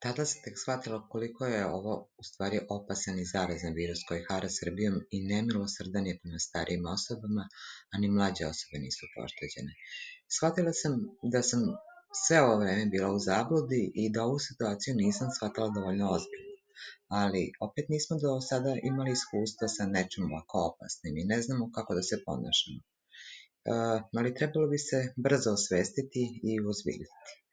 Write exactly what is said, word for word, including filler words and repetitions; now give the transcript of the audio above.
Tada se tek shvatilo koliko je ovo u stvari opasan i zarazan virus koji hara Srbijom i nemilosrdan je prema starijim osobama, a ni mlađe osobe nisu pošteđene. Shvatila sam da sam sve ovo vreme bila u zabludi i da ovu situaciju nisam shvatala dovoljno ozbiljno. Ali opet nismo do sada imali iskustva sa nečim ovako opasnim i ne znamo kako da se ponašamo. Uh, ali trebalo bi se brzo osvestiti i uozbiljiti.